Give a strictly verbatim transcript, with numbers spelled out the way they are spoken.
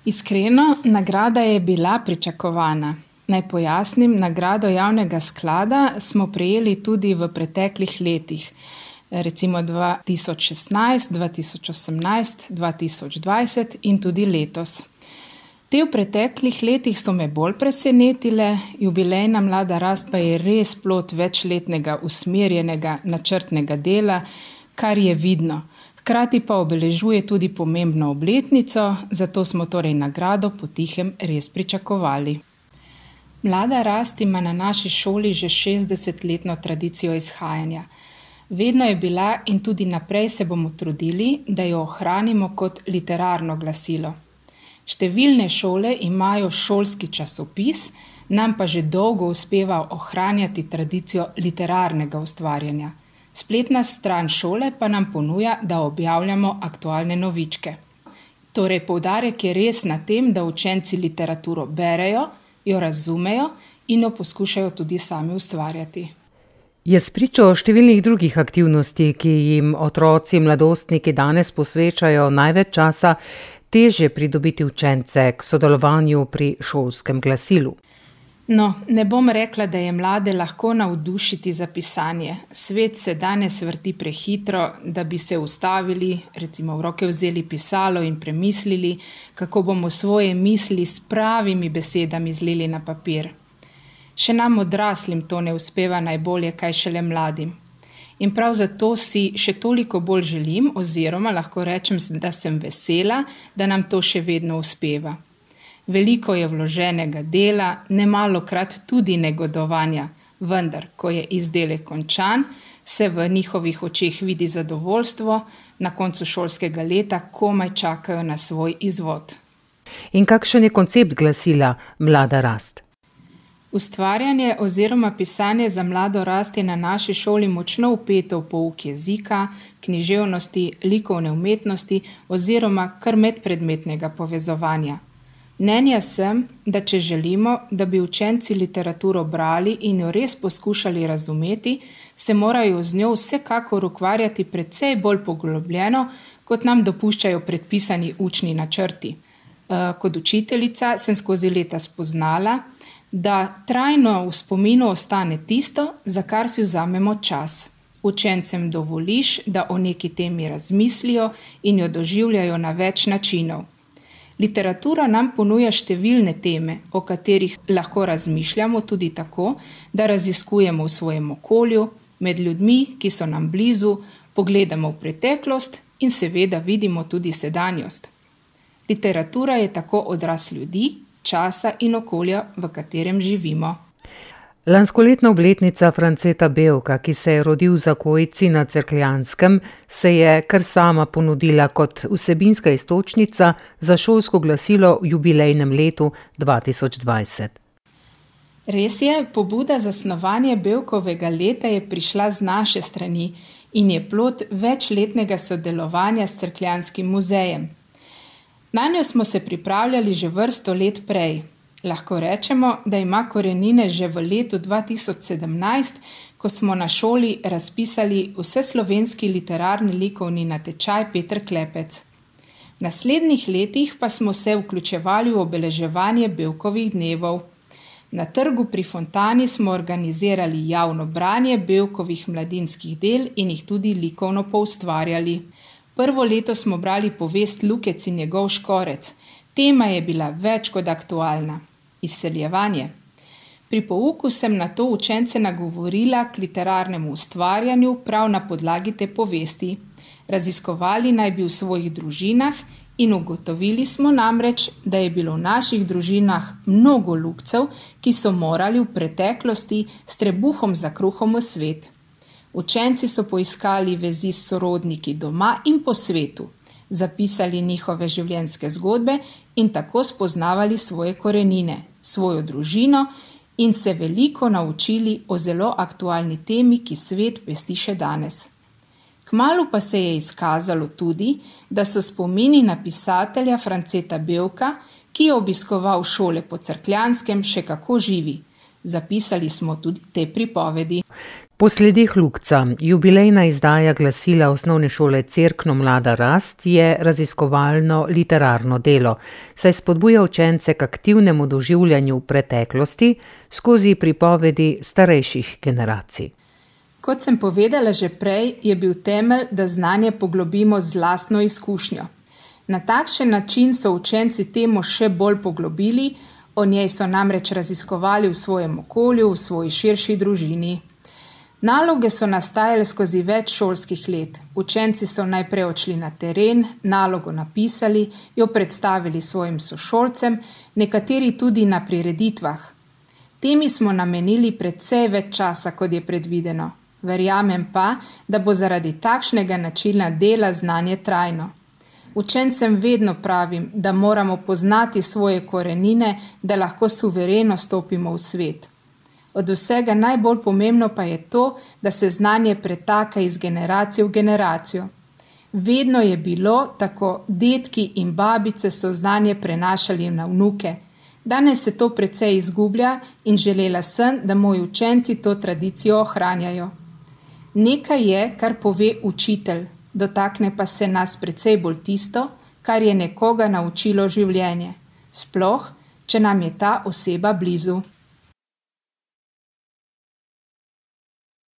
Iskreno, nagrada je bila pričakovana. Naj pojasnim, nagrado javnega sklada smo prejeli tudi v preteklih letih. Recimo dva tisoč šestnajst, dva tisoč osemnajst, dva tisoč dvajset in tudi letos. Te v preteklih letih so me bolj presenetile, jubilejna Mlada rast pa je res plod večletnega usmerjenega načrtnega dela, kar je vidno. Hkrati pa obeležuje tudi pomembno obletnico, zato smo torej nagrado potihem res pričakovali. Mlada rast ima na naši šoli že šestdesetletno tradicijo izhajanja. Vedno je bila in tudi naprej se bomo trudili, da jo ohranimo kot literarno glasilo. Številne šole imajo šolski časopis, nam pa že dolgo uspeva ohranjati tradicijo literarnega ustvarjanja. Spletna stran šole pa nam ponuja, da objavljamo aktualne novičke. Torej, poudarek je res na tem, da učenci literaturo berejo, jo razumejo in jo poskušajo tudi sami ustvarjati. Je spričo številnih drugih aktivnosti, ki jim otroci, mladostniki danes posvečajo največ časa, težje pridobiti učence k sodelovanju pri šolskem glasilu? No, ne bom rekla, da je mlade lahko navdušiti za pisanje. Svet se danes vrti prehitro, da bi se ustavili, recimo v roke vzeli pisalo in premislili, kako bomo svoje misli s pravimi besedami zlili na papir. Še nam odraslim to ne uspeva najbolje, kaj šele mladim. In prav zato si še toliko bolj želim, oziroma lahko rečem, da sem vesela, da nam to še vedno uspeva. Veliko je vloženega dela, nemalokrat tudi negodovanja, vendar, ko je izdelek končan, se v njihovih očeh vidi zadovoljstvo, na koncu šolskega leta komaj čakajo na svoj izvod. In kakšen je koncept glasila Mlada rast? Ustvarjanje oziroma pisanje za mlado rast je na naši šoli močno vpeto v pouk jezika, književnosti, likovne umetnosti oziroma kar medpredmetnega povezovanja. Mnenja sem, da če želimo, da bi učenci literaturo brali in jo res poskušali razumeti, se morajo z njo vsekakor ukvarjati precej bolj poglobljeno, kot nam dopuščajo predpisani učni načrti. Kot učiteljica sem skozi leta spoznala, da trajno v spominu ostane tisto, za kar si vzamemo čas. Učencem dovoliš, da o neki temi razmislijo in jo doživljajo na več načinov. Literatura nam ponuja številne teme, o katerih lahko razmišljamo tudi tako, da raziskujemo v svojem okolju, med ljudmi, ki so nam blizu, pogledamo v preteklost in seveda vidimo tudi sedanjost. Literatura je tako odraz ljudi, časa in okolja, v katerem živimo. Lanskoletna obletnica Franceta Bevka, ki se je rodil v Zakojci na Cerkljanskem, se je kar sama ponudila kot vsebinska iztočnica za šolsko glasilo v jubilejnem letu dva tisoč dvajset. Res je, pobuda za snovanje Bevkovega leta je prišla z naše strani in je plod večletnega sodelovanja s Cerkljanskim muzejem. Nanjo smo se pripravljali že vrsto let prej. Lahko rečemo, da ima korenine že v letu dva tisoč sedemnajst, ko smo na šoli razpisali vseslovenski literarni likovni natečaj Peter Klepec. V naslednjih letih pa smo se vključevali v obeleževanje Bevkovih dnevov. Na trgu pri Fontani smo organizirali javno branje Bevkovih mladinskih del in jih tudi likovno poustvarjali. Prvo leto smo brali povest Lukec in njegov škorec. Tema je bila več kot aktualna. Izseljevanje. Pri pouku sem na to učence nagovorila k literarnemu ustvarjanju prav na podlagi te povesti. Raziskovali naj bi v svojih družinah in ugotovili smo namreč, da je bilo v naših družinah mnogo Lukcev, ki so morali v preteklosti s trebuhom za kruhom v svet. Učenci so poiskali vezi s sorodniki doma in po svetu, zapisali njihove življenjske zgodbe in tako spoznavali svoje korenine, svojo družino in se veliko naučili o zelo aktualni temi, ki svet pesti še danes. Kmalu pa se je izkazalo tudi, da so spomini na pisatelja Franceta Bevka, ki je obiskoval šole po Cerkljanskem, še kako živi. Zapisali smo tudi te pripovedi. Po sledeh Lukca, jubilejna izdaja glasila Osnovne šole Cerkno Mlada rast je raziskovalno literarno delo, saj spodbuja učence k aktivnemu doživljanju preteklosti skozi pripovedi starejših generacij. Kot sem povedala že prej, je bil temelj, da znanje poglobimo z lastno izkušnjo. Na takšen način so učenci temo še bolj poglobili, o njej so namreč raziskovali v svojem okolju, v svoji širši družini. Naloge so nastajale skozi več šolskih let. Učenci so najprej odšli na teren, nalogo napisali, jo predstavili svojim sošolcem, nekateri tudi na prireditvah. Temi smo namenili precej več časa, kot je predvideno. Verjamem pa, da bo zaradi takšnega načina dela znanje trajno. Učencem vedno pravim, da moramo poznati svoje korenine, da lahko suvereno stopimo v svet. Od vsega najbolj pomembno pa je to, da se znanje pretaka iz generacije v generacijo. Vedno je bilo tako, dedki in babice so znanje prenašali na vnuke. Danes se to precej izgublja in želela sem, da moji učenci to tradicijo ohranjajo. Nekaj je, kar pove učitelj, dotakne pa se nas precej bolj tisto, kar je nekoga naučilo življenje. Sploh, če nam je ta oseba blizu.